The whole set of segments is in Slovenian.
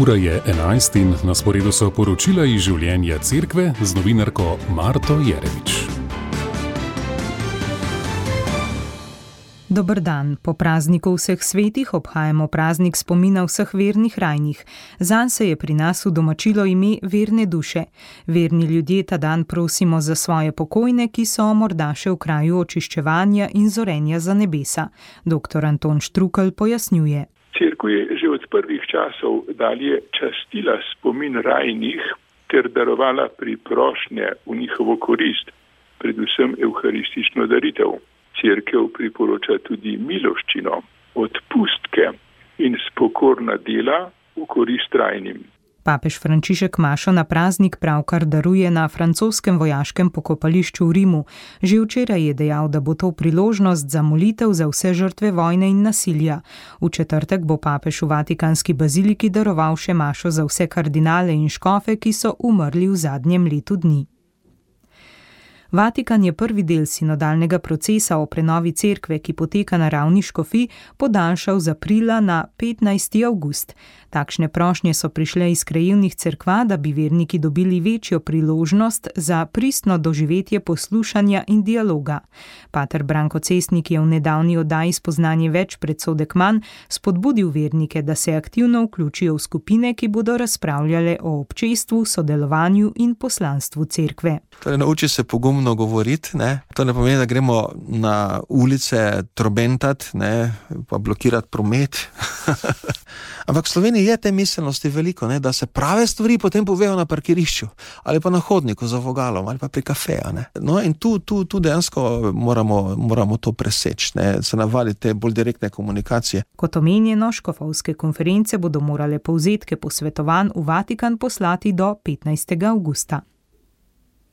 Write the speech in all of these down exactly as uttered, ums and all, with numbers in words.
Ura je enajst in na sporedu so poročila iz življenja cerkve z novinarko Marto Jeremič. Dober dan. Po prazniku vseh svetih obhajamo praznik spomina vseh vernih rajnih. Zanj se je pri nas udomačilo ime verne duše. Verni ljudje ta dan prosimo za svoje pokojne, ki so morda še v kraju očiščevanja in zorenja za nebesa. Doktor Anton Štrukelj pojasnjuje. Cerkev je že od prvih časov dalje častila spomin rajnih ter darovala priprošnje v njihovo korist, predvsem evharistično daritev. Cerkev priporoča tudi miloščino, odpustke in spokorna dela v korist rajnim. Papež Frančišek mašo na praznik pravkar daruje na francoskem vojaškem pokopališču v Rimu. Že včeraj je dejal, da bo to priložnost za molitev za vse žrtve vojne in nasilja. V četrtek bo papež v Vatikanski baziliki daroval še mašo za vse kardinale in škofe, ki so umrli v zadnjem letu dni. Vatikan je prvi del sinodalnega procesa o prenovi cerkve, ki poteka na ravni škofij, podaljšal z aprila na petnajsti avgust. Takšne prošnje so prišle iz krajevnih cerkva, da bi verniki dobili večjo priložnost za pristno doživetje poslušanja in dialoga. Pater Branko Cestnik je v nedavni oddaji Spoznanje več predsodek manj spodbudil vernike, da se aktivno vključijo v skupine, ki bodo razpravljale o občestvu, sodelovanju in poslanstvu cerkve. Torej, nauči se pogumno govoriti, ne? To ne pomeni, da gremo na ulice trobentat, ne? Pa blokirati promet. Ampak v Sloveniji je te miselnosti veliko, ne? Da se prave stvari potem povejo na parkirišču ali pa na hodniku za vogalom ali pa pri kafeju. Ne? No in tu, tu, tu dejansko moramo, moramo to preseči, ne? Se navaditi te bolj direktne komunikacije. Kot omenjeno, škofovske konference bodo morale povzetke posvetovanj v Vatikan poslati do petnajstega avgusta.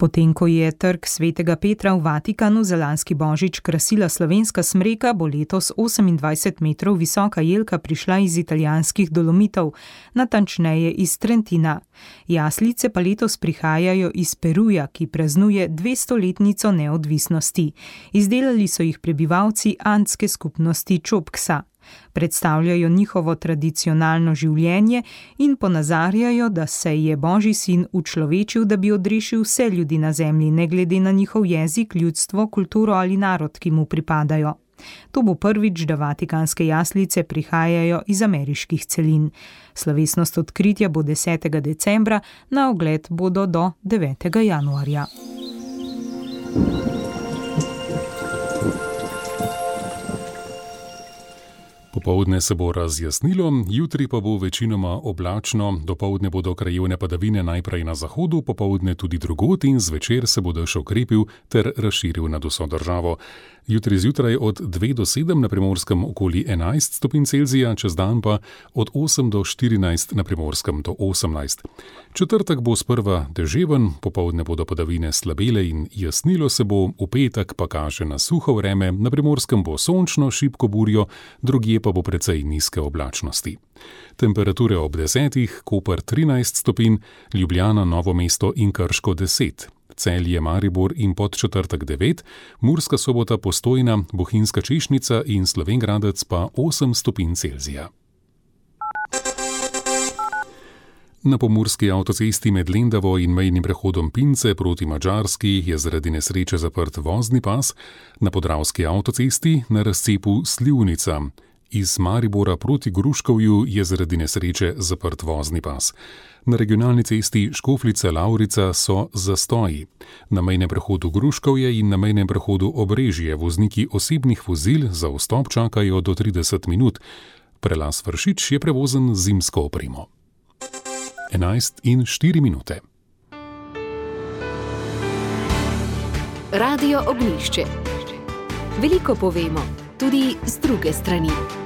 Potem, ko je trg svetega Petra v Vatikanu za lanski božič krasila slovenska smreka, bo letos osemindvajset metrov visoka jelka prišla iz italijanskih Dolomitov, natančneje iz Trentina. Jaslice pa letos prihajajo iz Peruja, ki praznuje dvestoletnico neodvisnosti. Izdelali so jih prebivalci andske skupnosti Čopksa. Predstavljajo njihovo tradicionalno življenje in ponazarjajo, da se je Božji sin učlovečil, da bi odrešil vse ljudi na zemlji, ne glede na njihov jezik, ljudstvo, kulturo ali narod, ki mu pripadajo. To bo prvič, da vatikanske jaslice prihajajo iz ameriških celin. Slovesnost odkritja bo desetega decembra, na ogled bodo do devetega januarja. Popoldne se bo razjasnilo, jutri pa bo večinoma oblačno, dopoldne bodo krajevne padavine najprej na zahodu, popoldne tudi drugod in zvečer se bo dež okrepil ter razširil nad vso državo. Jutri zjutraj od dve do sedem, na Primorskem okoli enajst stopinj Celzija, čez dan pa od osem do štirinajst, na Primorskem do osemnajst. Četrtek bo sprva deževen, popoldne bodo padavine slabele in jasnilo se bo, v petek pa kaže na suho vreme, na Primorskem bo sončno, šibko burjo, drugje pa bo precej nizke oblačnosti. Temperature ob desetih, Koper trinajst stopinj, Ljubljana, Novo mesto in Krško deset. Celje, Maribor in Podčetrtek devet, Murska Sobota, Postojna, Bohinjska Češnica in Slovenj Gradec pa osem stopinj Celzija. Na pomurski avtocesti med Lendavo in mejnim prehodom Pince proti Madžarski je zaradi nesreče zaprt vozni pas, na podravski avtocesti na razcepu Slivnica. Iz Maribora proti Gruškovju je zaradi nesreče zaprt vozni pas. Na regionalni cesti Škofljica-Lavrica so zastoji. Na mejnem prehodu Gruškovje in na mejnem prehodu Obrežje vozniki osebnih vozil za vstop čakajo do trideset minut. Prelaz Vršič je prevozen z zimsko opremo. enajst in štiri minute. Radio Ognjišče. Veliko povemo, tudi z druge strani.